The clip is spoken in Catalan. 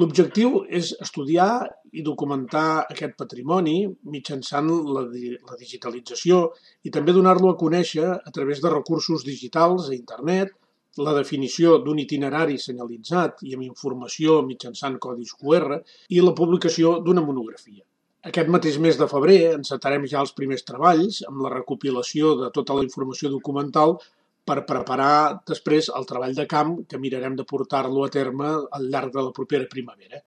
L'objectiu és estudiar i documentar aquest patrimoni mitjançant la digitalització i també donar-lo a conèixer a través de recursos digitals a Internet, la definició d'un itinerari senyalitzat i amb informació mitjançant codis QR i la publicació d'una monografia. Aquest mateix mes de febrer encetarem ja els primers treballs amb la recopilació de tota la informació documental per preparar després el treball de camp que mirarem de portar-lo a terme al llarg de la propera primavera.